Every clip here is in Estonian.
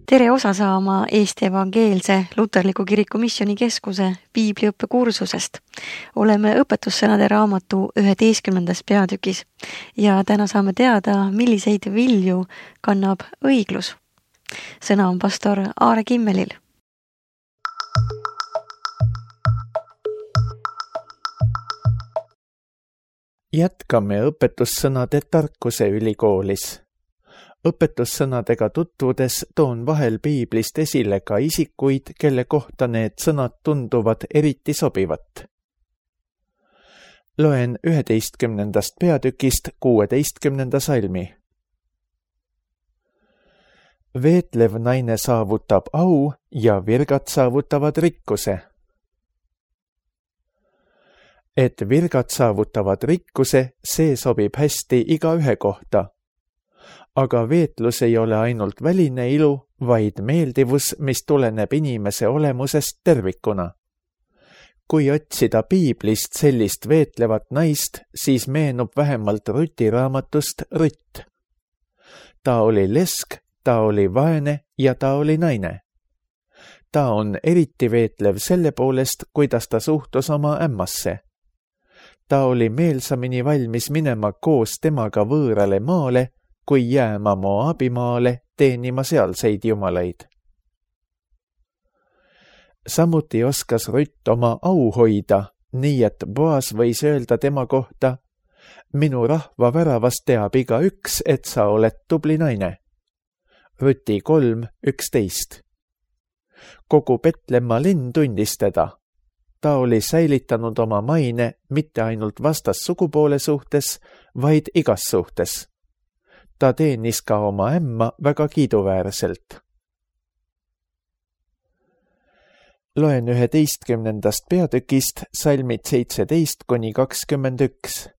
Tere osa saama Eesti Evangeelse Luterliku Kiriku Missioonikeskuse piibliõppekursusest. Oleme õpetussõnade raamatu 11. peatükis ja täna saame teada, milliseid vilju kannab õiglus. Sõna on pastor Aare Kimmelil. Jätkame õpetussõnade tarkuse ülikoolis. Õpetussõnadega tutvudes toon vahel piiblist esile ka isikuid, kelle kohta need sõnad tunduvad eriti sobivat. Loen 11. peatükist 16. salmi. Veetlev naine saavutab au ja virgad saavutavad rikkuse. Et virgad saavutavad rikkuse, see sobib hästi igaühe kohta. Aga veetlus ei ole ainult väline ilu, vaid meeldivus, mis tuleneb inimese olemusest tervikuna. Kui otsida piiblist sellist veetlevat naist, siis meenub vähemalt Ruti raamatust Rutt. Ta oli lesk, ta oli vaene ja ta oli naine. Ta on eriti veetlev selle poolest, kuidas ta suhtus oma ämmasse. Ta oli meelsamini valmis minema koos temaga võõrale maale, kui jääma Moabimaale teenima sealseid jumalaid. Samuti oskas Rutt oma au hoida, nii et Boas võis öelda tema kohta: minu rahva väravast teab igaüks, et sa oled tubli naine. Ruti 3:11. Kogu Petlemma linn tundis teda. Ta oli säilitanud oma maine mitte ainult vastassugupoole suhtes, vaid igas suhtes. Ta teenis ka oma ämma väga kiiduväärselt. Loen 11. peatükist salmid 17-21.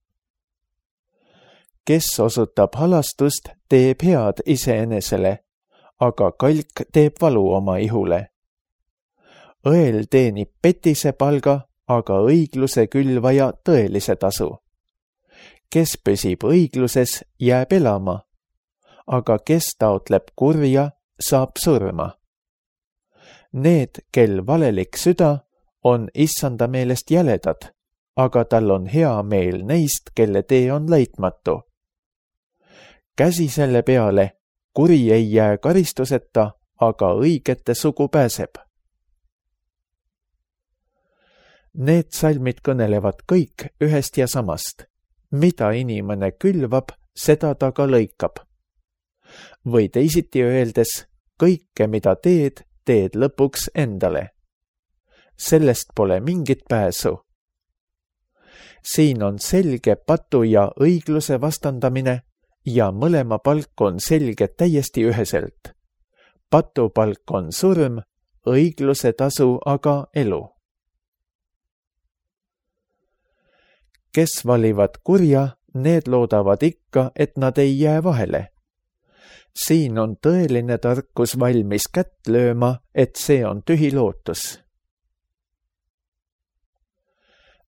Kes osutab halastust, teeb head iseenesele, aga kalk teeb valu oma ihule. Õel teenib petise palga, aga õigluse külvaja tõelise tasu. Kes püsib õigluses, jääb elama, aga kes taotleb kurja, saab surma. Need, kel valelik süda, on issanda meelest jäledad, aga tal on hea meel neist, kelle tee on laitmatu. Käsi selle peale, kuri ei jää karistuseta, aga õigete sugu pääseb. Need salmid kõnelevad kõik ühest ja samast. Mida inimene külvab, seda ta ka lõikab. Või teisiti öeldes, kõike, mida teed, teed lõpuks endale. Sellest pole mingit pääsu. Siin on selge patu ja õigluse vastandamine ja mõlema palk on selge täiesti üheselt. Patu palk on surm, õigluse tasu aga elu. Kes valivad kurja, need loodavad ikka, et nad ei jää vahele. Siin on tõeline tarkus valmis kätt lööma, et see on tühi lootus.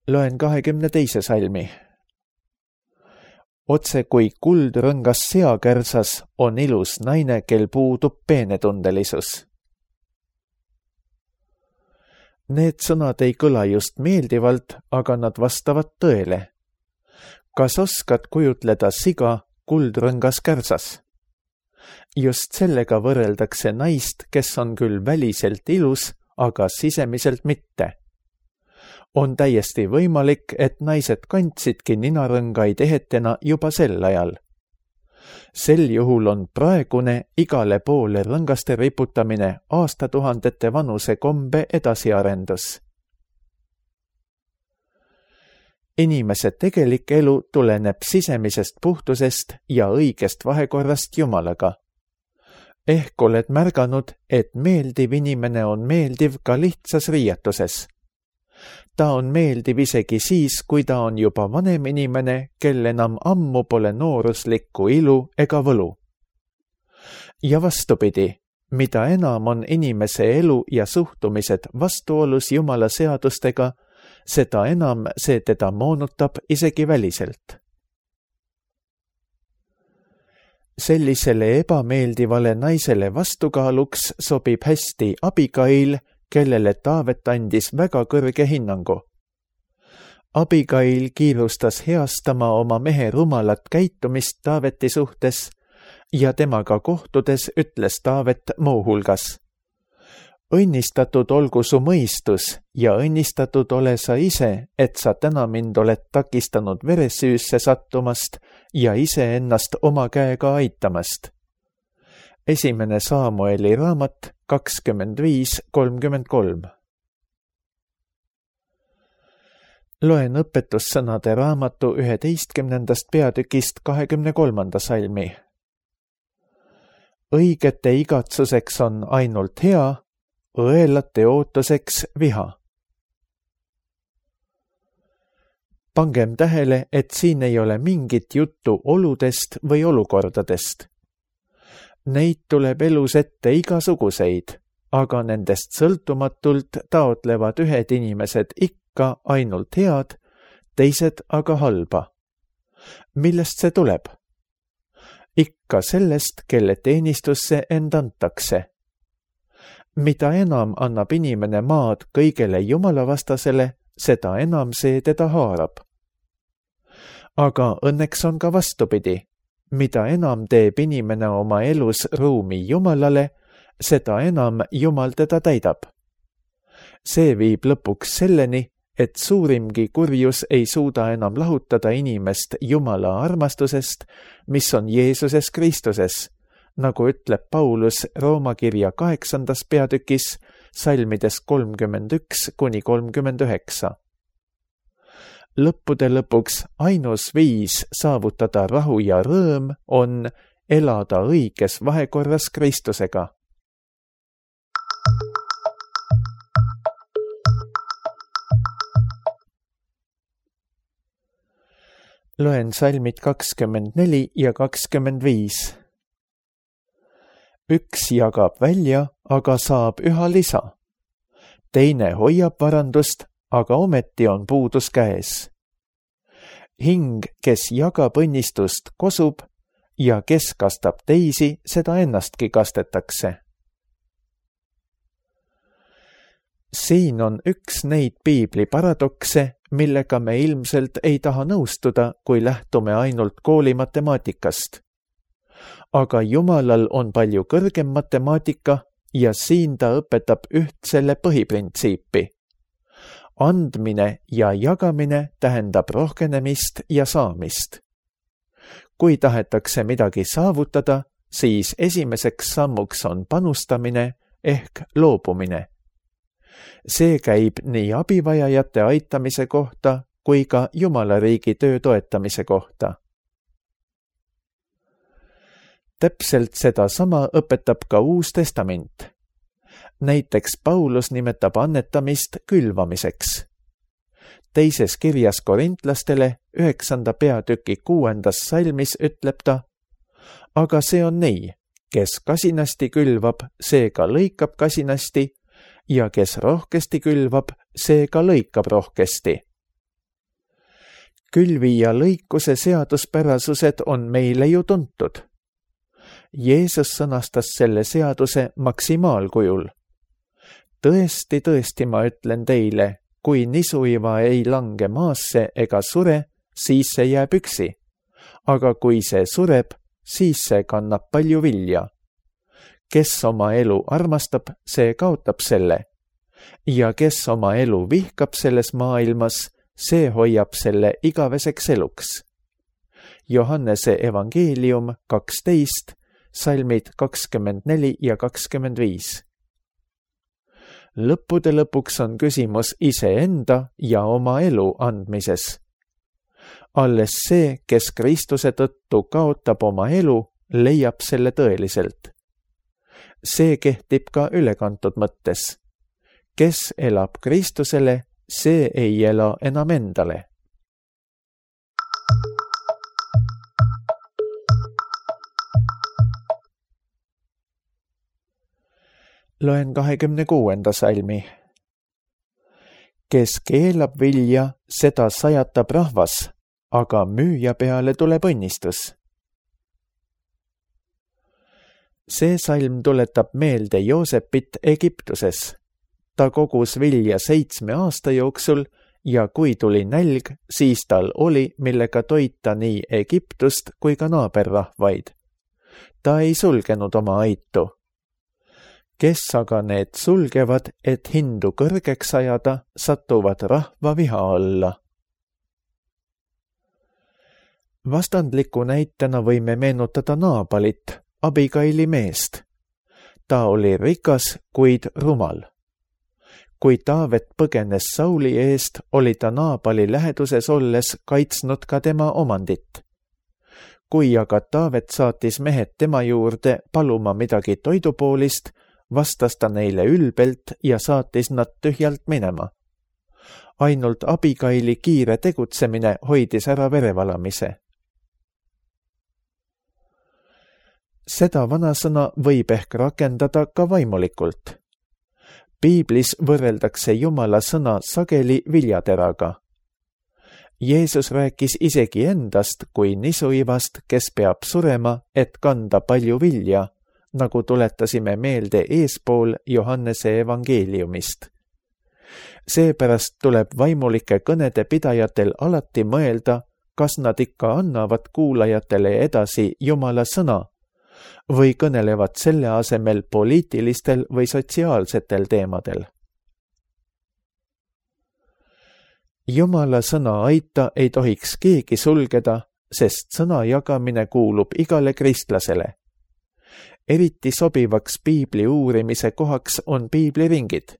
Loen 22. salmi. Otse kui kuldrõngas seakärsas on ilus naine, kel puudub peenetundelisus. Need sõnad ei kõla just meeldivalt, aga nad vastavad tõele. Kas oskad kujutleda siga kuldrõngas kärsas? Just sellega võrreldakse naist, kes on küll väliselt ilus, aga sisemiselt mitte. On täiesti võimalik, et naised kandsidki ninarõngaid ehetena juba sel ajal. Sel juhul on praegune igale poole rõngaste riputamine aastatuhandete vanuse kombe edasiarendus. Inimese tegelik elu tuleneb sisemisest puhtusest ja õigest vahekorrast Jumalaga. Ehk oled märganud, et meeldiv inimene on meeldiv ka lihtsas riietuses. Ta on meeldiv isegi siis, kui ta on juba vanem inimene, kel enam ammu pole nooruslikku ilu ega võlu. Ja vastupidi, mida enam on inimese elu ja suhtumised vastuolus Jumala seadustega, seda enam see teda moonutab isegi väliselt. Sellisele ebameeldivale naisele vastukaaluks sobib hästi Abigail, kellele Taavet andis väga kõrge hinnangu. Abigail kiirustas heastama oma mehe rumalat käitumist Taaveti suhtes ja temaga kohtudes ütles Taavet muuhulgas: õnnistatud olgu su mõistus ja õnnistatud ole sa ise, et sa täna mind oled takistanud veresüüsse sattumast ja iseennast oma käega aitamast. 1. Saamueli raamat 25:33. Loen õpetussõnade raamatu 11. peatükist 23. salmi. Õigete igatsuseks on ainult hea, õelate ootuseks viha. Pangem tähele, et siin ei ole mingit juttu oludest või olukordadest. Neid tuleb elus ette igasuguseid, aga nendest sõltumatult taotlevad ühed inimesed ikka ainult head, teised aga halba. Millest see tuleb? Ikka sellest, kelle teenistusse end antakse. Mida enam annab inimene maad kõigele jumalavastasele, seda enam see teda haarab. Aga õnneks on ka vastupidi. Mida enam teeb inimene oma elus ruumi Jumalale, seda enam Jumal teda täidab. See viib lõpuks selleni, et suurimgi kurjus ei suuda enam lahutada inimest Jumala armastusest, mis on Jeesuses Kristuses, nagu ütleb Paulus Rooma kirja 8. peatükis, salmides 31-39. Lõppude lõpuks ainus viis saavutada rahu ja rõõm on elada õiges vahekorras Kristusega. Loen salmid 24 ja 25. Üks jagab välja, aga saab üha lisa. Teine hoiab varandust, aga ometi on puudus käes. Hing, kes jagab õnnistust, kosub ja kes kastab teisi, seda ennastki kastetakse. Siin on üks neid piibli paradokse, millega me ilmselt ei taha nõustuda, kui lähtume ainult kooli matemaatikast. Aga Jumalal on palju kõrgem matemaatika ja siin ta õpetab üht selle põhiprintsiipi. Andmine ja jagamine tähendab rohkenemist ja saamist. Kui tahetakse midagi saavutada, siis esimeseks sammuks on panustamine ehk loobumine. See käib nii abivajajate aitamise kohta kui ka Jumala riigi töö toetamise kohta. Täpselt sedasama õpetab ka Uus Testament. Näiteks Paulus nimetab annetamist külvamiseks. Teises kirjas korintlastele 9. peatüki 6. salmis ütleb ta: aga see on nii, kes kasinasti külvab, see ka lõikab kasinasti ja kes rohkesti külvab, see ka lõikab rohkesti. Külvi ja lõikuse seaduspärasused on meile ju tuntud. Jeesus sõnastas selle seaduse maksimaalkujul. Tõesti, tõesti, ma ütlen teile, kui nisuiva ei lange maasse ega sure, siis see jääb üksi. Aga kui see sureb, siis see kannab palju vilja. Kes oma elu armastab, see kaotab selle. Ja kes oma elu vihkab selles maailmas, see hoiab selle igaveseks eluks. Johannese evangeelium 12, salmid 24 ja 25. Lõppude lõpuks on küsimus iseenda ja oma elu andmises. Alles see, kes Kristuse tõttu kaotab oma elu, leiab selle tõeliselt. See kehtib ka ülekantud mõttes. Kes elab Kristusele, see ei ela enam endale. Loen 26. salmi. Kes keelab vilja, seda sajatab rahvas, aga müüja peale tuleb õnnistus. See salm tuletab meelde Joosepit Egiptuses. Ta kogus vilja 7 aasta jooksul ja kui tuli nälg, siis tal oli, millega toita nii Egiptust kui ka naaberrahvaid. Ta ei sulgenud oma aitu. Kes aga need sulgevad, et hindu kõrgeks ajada, satuvad rahva viha alla. Vastandliku näitena võime meenutada Naabalit, Abigaili meest. Ta oli rikas, kuid rumal. Kui Taavet põgenes Sauli eest, oli ta Naabali läheduses olles kaitsnud ka tema omandit. Kui aga Taavet saatis mehed tema juurde paluma midagi toidupoolist, vastas ta neile ülbelt ja saatis nad tühjalt minema. Ainult Abigaili kiire tegutsemine hoidis ära verevalamise. Seda vanasõna võib ehk rakendada ka vaimulikult. Piiblis võrreldakse Jumala sõna sageli viljateraga. Jeesus rääkis isegi endast kui nisuivast, kes peab surema, et kanda palju vilja, nagu tuletasime meelde eespool Johannese evangeeliumist. Seepärast tuleb vaimulike kõnede pidajatel alati mõelda, kas nad ikka annavad kuulajatele edasi Jumala sõna või kõnelevad selle asemel poliitilistel või sotsiaalsetel teemadel. Jumala sõna aita ei tohiks keegi sulgeda, sest sõna jagamine kuulub igale kristlasele. Eriti sobivaks piibli uurimise kohaks on piibliringid.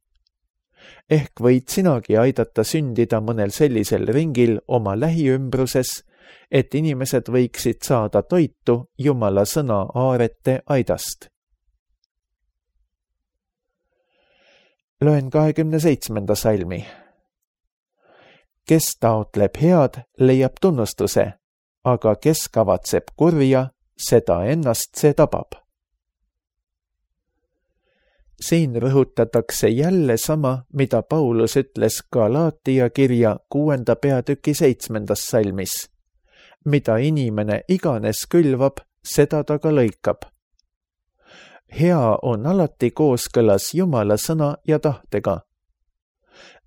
Ehk võid sinagi aidata sündida mõnel sellisel ringil oma lähiümbruses, et inimesed võiksid saada toitu Jumala sõna aarete aidast. Loen 27. salmi. Kes taotleb head, leiab tunnustuse, aga kes kavatseb kurja, seda ennast see tabab. Siin rõhutatakse jälle sama, mida Paulus ütles Galaatia kirja 6. peatüki 7. salmis. Mida inimene iganes külvab, seda ta ka lõikab. Hea on alati kooskõlas Jumala sõna ja tahtega.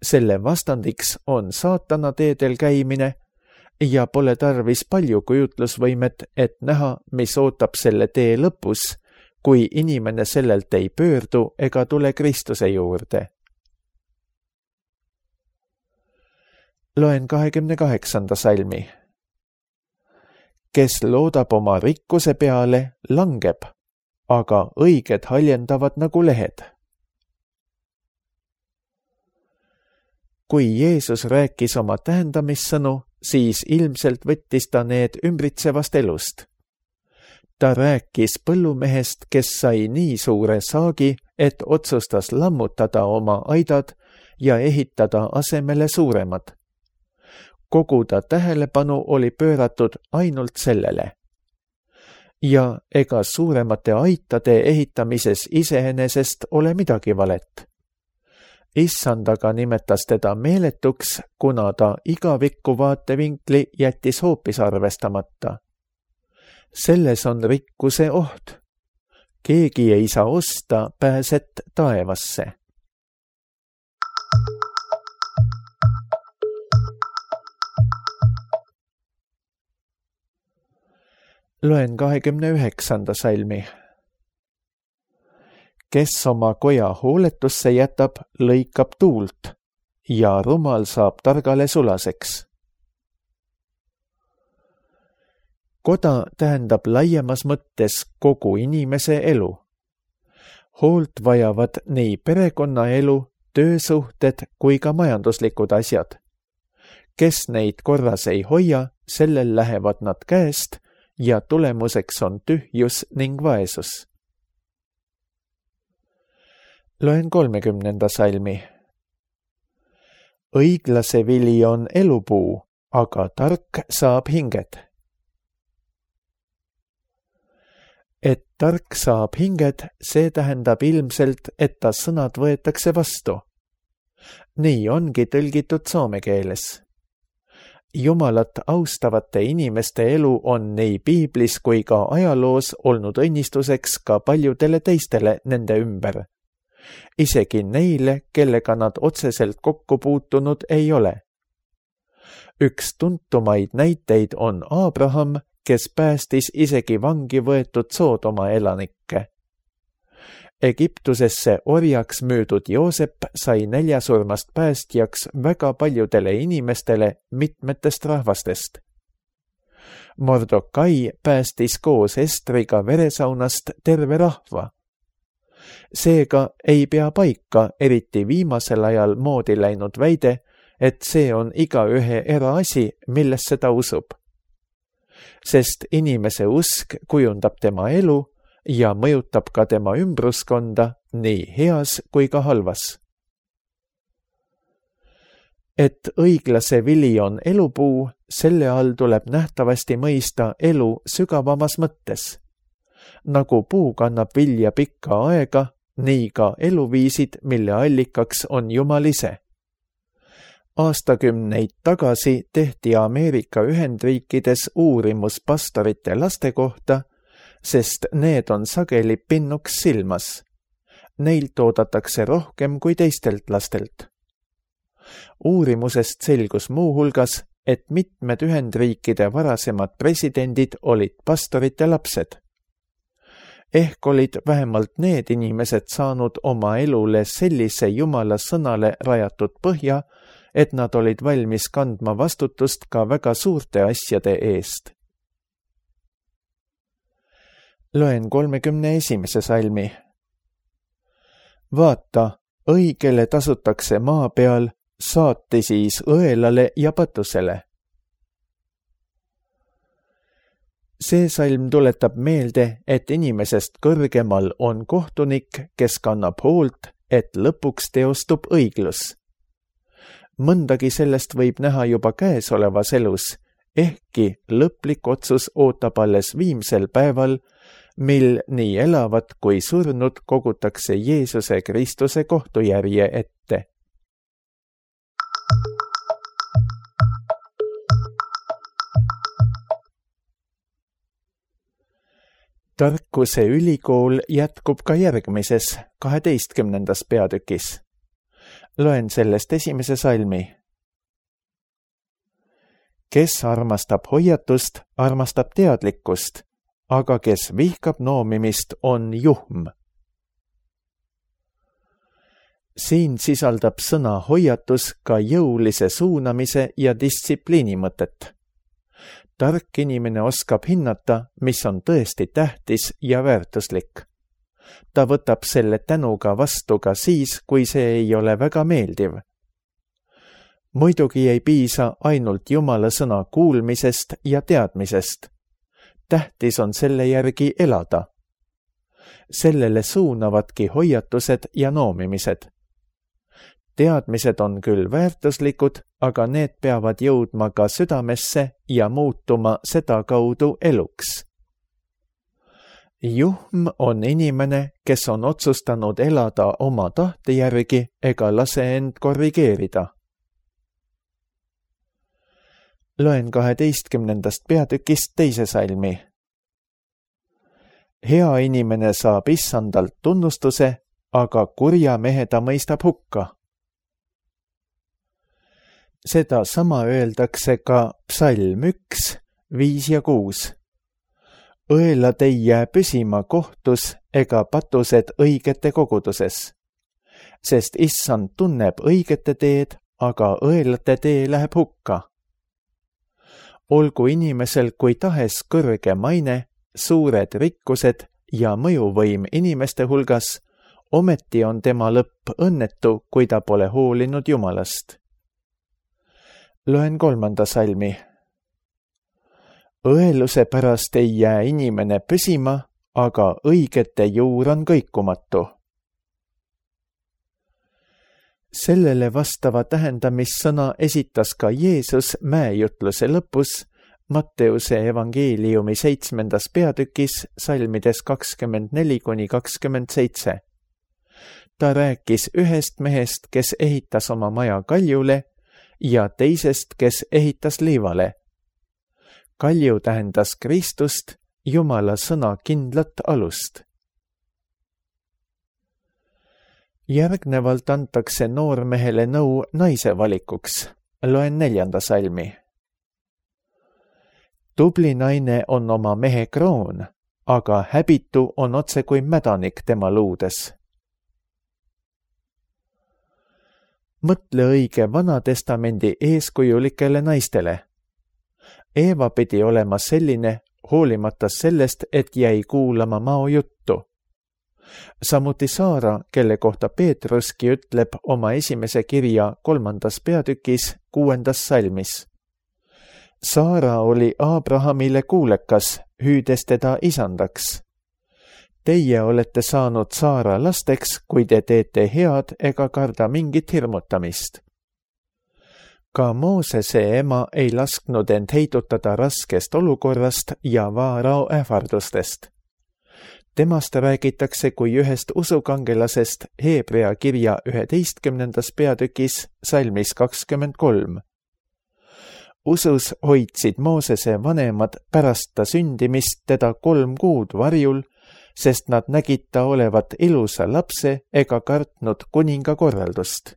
Selle vastandiks on saatana teedel käimine ja pole tarvis palju kujutlusvõimet, et näha, mis ootab selle tee lõpus, kui inimene sellelt ei pöördu ega tule Kristuse juurde. Loen 28. salmi. Kes loodab oma rikkuse peale, langeb, aga õiged haljendavad nagu lehed. Kui Jeesus rääkis oma tähendamissõnu, siis ilmselt võttis ta need ümbritsevast elust. Ta rääkis põllumehest, kes sai nii suure saagi, et otsustas lammutada oma aidad ja ehitada asemele suuremad. Kogu ta tähelepanu oli pööratud ainult sellele. Ja ega suuremate aitade ehitamises iseenesest ole midagi valet. Issand aga nimetas teda meeletuks, kuna ta igavikku vaatevinkli jättis hoopis arvestamata. Selles on rikkuse oht. Keegi ei saa osta pääset taevasse. Loen 29. salmi. Kes oma koja hooletusse jätab, lõikab tuult ja rumal saab targale sulaseks. Koda tähendab laiemas mõttes kogu inimese elu. Hoolt vajavad nii perekonnaelu, töösuhted kui ka majanduslikud asjad. Kes neid korras ei hoia, sellel lähevad nad käest ja tulemuseks on tühjus ning vaesus. Loen 30. salmi. Õiglase vili on elupuu, aga tark saab hinged. Et tark saab hinged, see tähendab ilmselt, et ta sõnad võetakse vastu. Nii ongi tõlgitud soome keeles. Jumalat austavate inimeste elu on nii piiblis kui ka ajaloos olnud õnnistuseks ka paljudele teistele nende ümber. Isegi neile, kellega nad otseselt kokku puutunud ei ole. Üks tuntumaid näiteid on Abraham, kes päästis isegi vangi võetud Soodoma elanikke. Egiptusesse orjaks müüdud Joosep sai näljasurmast päästjaks väga paljudele inimestele mitmetest rahvastest. Mordokai päästis koos Estriga veresaunast terve rahva. Seega ei pea paika eriti viimasel ajal moodi läinud väide, et see on igaühe eraasi, millesse ta usub. Sest inimese usk kujundab tema elu ja mõjutab ka tema ümbruskonda nii heas kui ka halvas. Et õiglase vili on elupuu, selle all tuleb nähtavasti mõista elu sügavamas mõttes. Nagu puu kannab vilja pikka aega, nii ka eluviisid, mille allikaks on Jumal ise. Aastakümneid tagasi tehti Ameerika Ühendriikides uurimus pastorite laste kohta, sest need on sageli pinnuks silmas. Neilt oodatakse rohkem kui teistelt lastelt. Uurimusest selgus muuhulgas, et mitmed Ühendriikide varasemad presidendid olid pastorite lapsed. Ehk olid vähemalt need inimesed saanud oma elule sellise Jumala sõnale rajatud põhja, et nad olid valmis kandma vastutust ka väga suurte asjade eest. Loen 31. salmi. Vaata, õigele tasutakse maa peal, saati siis õelale ja patusele. See salm tuletab meelde, et inimesest kõrgemal on kohtunik, kes kannab hoolt, et lõpuks teostub õiglus. Mõndagi sellest võib näha juba käesolevas elus, ehkki lõplik otsus ootab alles viimsel päeval, mil nii elavad kui surnud kogutakse Jeesuse Kristuse kohtujärje ette. Tarkuse ülikool jätkub ka järgmises, 12. peatükis. Loen sellest 1. salmi. Kes armastab hoiatust, armastab teadlikkust, aga kes vihkab noomimist, on juhm. Siin sisaldab sõna hoiatus ka jõulise suunamise ja distsipliini mõtet. Tark inimene oskab hinnata, mis on tõesti tähtis ja väärtuslik. Ta võtab selle tänuga vastu ka siis, kui see ei ole väga meeldiv. Muidugi ei piisa ainult Jumala sõna kuulmisest ja teadmisest. Tähtis on selle järgi elada. Sellele suunavadki hoiatused ja noomimised. Teadmised on küll väärtuslikud, aga need peavad jõudma ka südamesse ja muutuma seda kaudu eluks. Juhm on inimene, kes on otsustanud elada oma tahte järgi ega lase end korrigeerida. Loen 12. peatükist 2. salmi. Hea inimene saab issandalt tunnustuse, aga kurja mehe ta mõistab hukka. Seda sama öeldakse ka psalm 1, 5 ja 6. Õelad ei jää püsima kohtus ega patused õigete koguduses, sest issand tunneb õigete teed, aga õelate tee läheb hukka. Olgu inimesel kui tahes kõrge maine, suured rikkused ja mõjuvõim inimeste hulgas, ometi on tema lõpp õnnetu, kui ta pole hoolinud Jumalast. Loen 3. salmi. Õeluse pärast ei jää inimene püsima, aga õigete juur on kõikumatu. Sellele vastava tähendamissõna esitas ka Jeesus mäejutluse lõpus Matteuse evangeeliumi 7. peatükis salmides 24-27. Ta rääkis ühest mehest, kes ehitas oma maja kaljule ja teisest, kes ehitas liivale. Kalju tähendas Kristust, Jumala sõna kindlat alust. Järgnevalt antakse noormehele nõu naise valikuks. Loen 4. salmi. Tubli naine on oma mehe kroon, aga häbitu on otse kui mädanik tema luudes. Mõtle õige Vanatestamendi eeskujulikele naistele. Eeva pidi olema selline, hoolimata sellest, et jäi kuulama mao juttu. Samuti Saara, kelle kohta Peetruski ütleb oma esimese kirja 3. peatükis 6. salmis. Saara oli Abrahamile kuulekas, hüüdes teda isandaks. Teie olete saanud Saara lasteks, kui te teete head ega karda mingit hirmutamist. Ka Moosese ema ei lasknud end heidutada raskest olukorrast ja Vaarao ähvardustest. Temast räägitakse kui ühest usukangelasest Hebrea kirja 11. peatükis salmis 23. Usus hoidsid Moosese vanemad pärast ta sündimist teda 3 kuud varjul, sest nad nägid ta olevat ilusa lapse ega kartnud kuninga korraldust.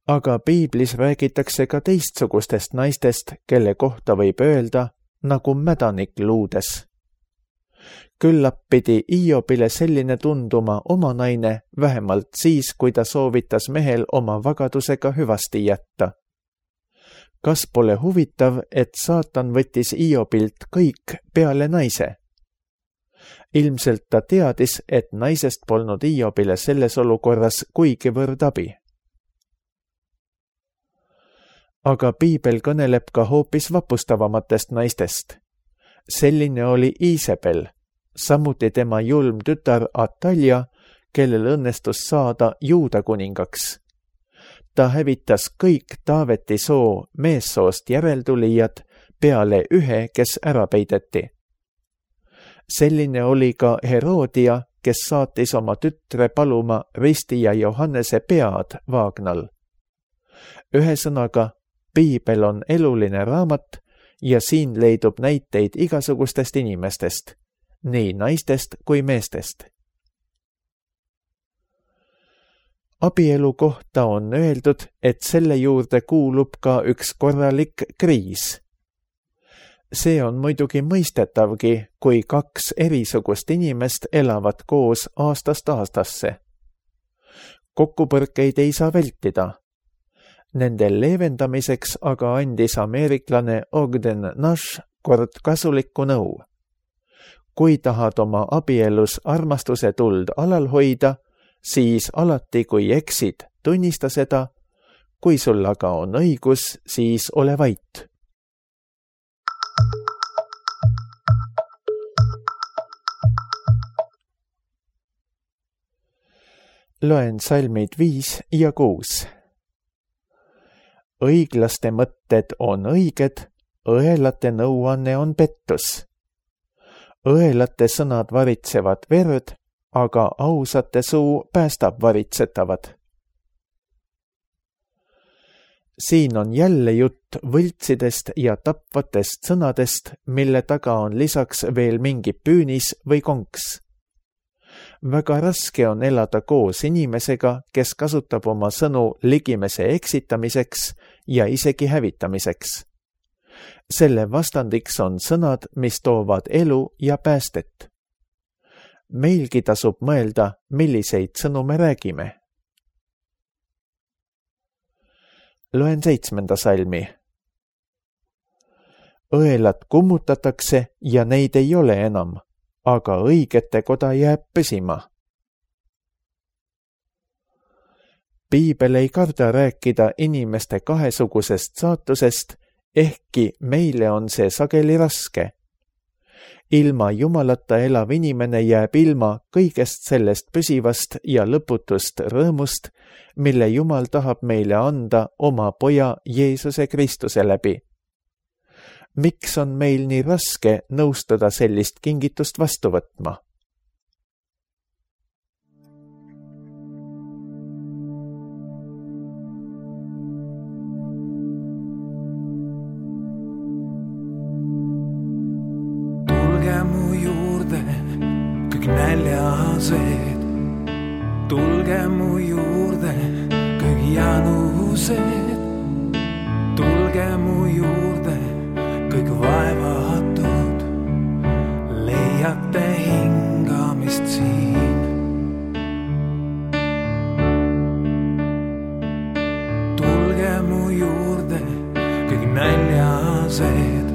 Aga piiblis räägitakse ka teistsugustest naistest, kelle kohta võib öelda nagu mädanik luudes. Küllap pidi Hiobile selline tunduma oma naine vähemalt siis, kui ta soovitas mehel oma vagadusega hüvasti jätta. Kas pole huvitav, et saatan võttis Hiobilt kõik peale naise? Ilmselt ta teadis, et naisest polnud Hiobile selles olukorras kuigivõrd abi. Aga piibel kõneleb ka hoopis vapustavamatest naistest. Selline oli Iisabel, samuti tema julm tütar Atalja, kellel õnnestus saada Juuda kuningaks. Ta hävitas kõik Taaveti soo meessoost järeltulijad peale ühe, kes ära peideti. Selline oli ka Herodia, kes saatis oma tütre paluma Risti ja Johannese pead Vaagnal. Ühesõnaga, piibel on eluline raamat ja siin leidub näiteid igasugustest inimestest, nii naistest kui meestest. Abielu kohta on öeldud, et selle juurde kuulub ka üks korralik kriis. See on muidugi mõistetavgi, kui 2 erisugust inimest elavad koos aastast aastasse. Kokkupõrkeid ei saa vältida. Nende leevendamiseks aga andis ameeriklane Ogden Nash kord kasulikku nõu. Kui tahad oma abielus armastuse tuld alal hoida, siis alati, kui eksid, tunnista seda, kui sul aga on õigus, siis ole vait. Loen salmid 5 ja 6. Õiglaste mõtted on õiged, õelate nõuanne on pettus. Õelate sõnad varitsevad verd, aga ausate suu päästab varitsetavad. Siin on jälle jutt võltsidest ja tapvatest sõnadest, mille taga on lisaks veel mingi püünis või konks. Väga raske on elada koos inimesega, kes kasutab oma sõnu ligimese eksitamiseks ja isegi hävitamiseks. Selle vastandiks on sõnad, mis toovad elu ja päästet. Meilgi tasub mõelda, milliseid sõnu me räägime. Loen 7. salmi. Õelad kummutatakse ja neid ei ole enam, aga õigete koda jääb püsima. Piibel ei karda rääkida inimeste kahesugusest saatusest, ehkki meile on see sageli raske. Ilma Jumalata elav inimene jääb ilma kõigest sellest püsivast ja lõputust rõõmust, mille Jumal tahab meile anda oma poja Jeesuse Kristuse läbi. Miks on meil nii raske nõustuda sellist kingitust vastu võtma? janused, tulge mu juurde, kõik janused, tulge mu juurde, kõik vaevatud, leiate hingamist siin. Tulge mu juurde, kõik näljased,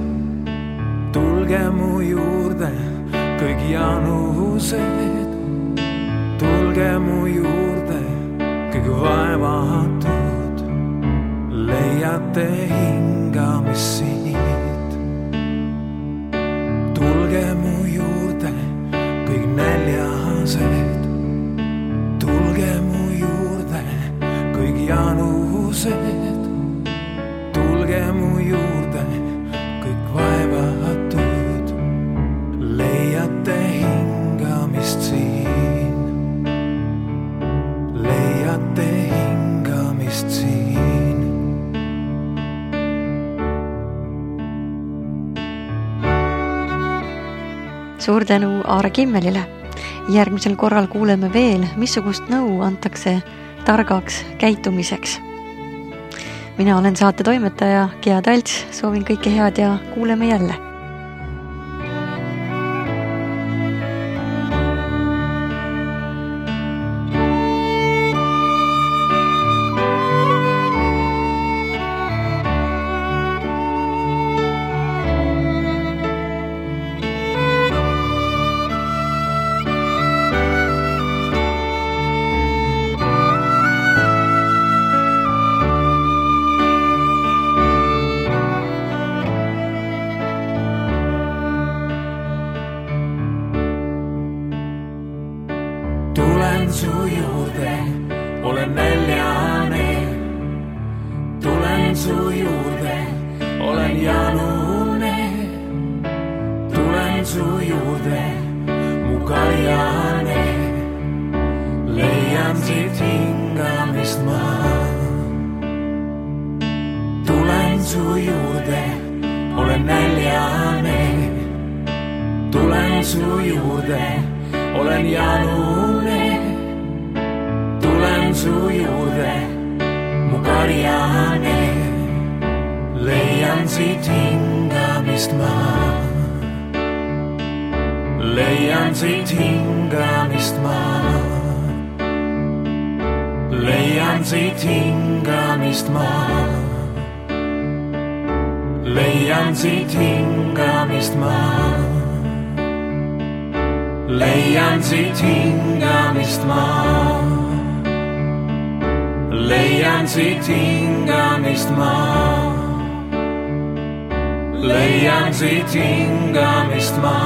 tulge mu juurde, kõik janused, tulge mu juurde, kõik vaevatud, leiate hingamist siit. Tulge mu juurde, kõik näljased, tulge mu juurde, kõik janused, tulge mu juurde, kõik vaevatud, leiate hingamist siin. Leiate hingamist siin. Suur tänu Aare Kimmelile. Järgmisel korral kuuleme veel, missugust nõu antakse targaks käitumiseks. Mina olen saate toimetaja Gea Talts, soovin kõike head ja kuuleme jälle. Tulen su juurde, olen näljane. Tulen su juurde, olen janune. Tulen su juurde, mu kaljane. Leian siit hingamist ma. Tulen su juurde, olen näljane. Tulen su juurde, olen janune. Tulen su juurde, mu karjane. Leian siit hingamist ma. Leian siit hingamist ma. Leian siit hingamist ma. Leian siit hingamist ma. Leian siit hingamist ma. Leian siit hingamist ma. Leian siit hingamist ma.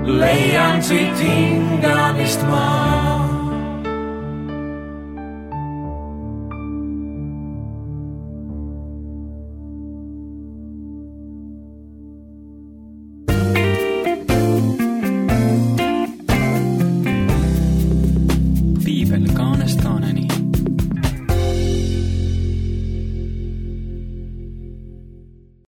Leian siit hingamist ma.